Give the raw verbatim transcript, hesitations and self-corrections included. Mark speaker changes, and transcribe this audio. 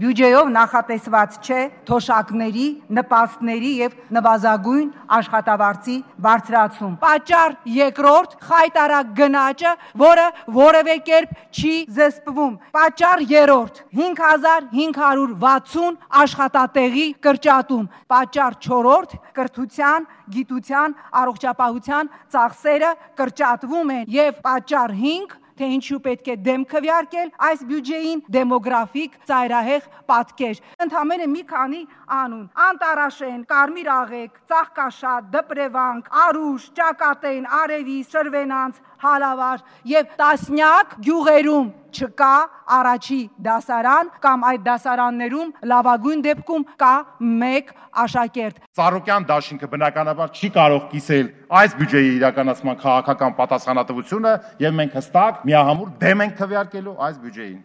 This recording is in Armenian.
Speaker 1: Բյուջեով նախատեսված չէ թոշակների, նպաստների եւ նվազագույն աշխատավարձի բարձրացում։ Պատճառ երկրորդ՝ խայտարակ գնաճը, որը որևէ կերպ չի զսպվում։ Պատճառ երրորդ՝ հինգ հազար հինգ հարյուր վաթսուն աշխատատեղի կրճատում։ Պատճառ չորրորդ՝ կրթության, գիտության, առողջապահության ծախսերը կրճատվում են եւ պատճառ հինգ, թե ինչու պետք է դեմ քվեարկել այս բյուջեին, դեմոգրաֆիկ ծայրահեղ պատկեր։ Ընդամենը մի քանի անուն՝ Անտարաշեն, Կարմիր աղեկ, Ծաղկաշատ, Դպրևանք, Արուշ, Ճակատեն, Արևիս, Շրվենանց, Հալավար եւ տասնյակ գյուղերում չկա առաջի դասարան կամ այդ դասարաններում լավագույն դեպքում կա մեկ աշակերտ։
Speaker 2: Ծառուկյան դաշինքը բնականաբար չի կարող կիսել այս բյուջեի իրականացման քաղաքական պատասխանատվությունը եւ մենք հստակ միահամուռ դեմ ենք քվեարկելու այս բյուջեին։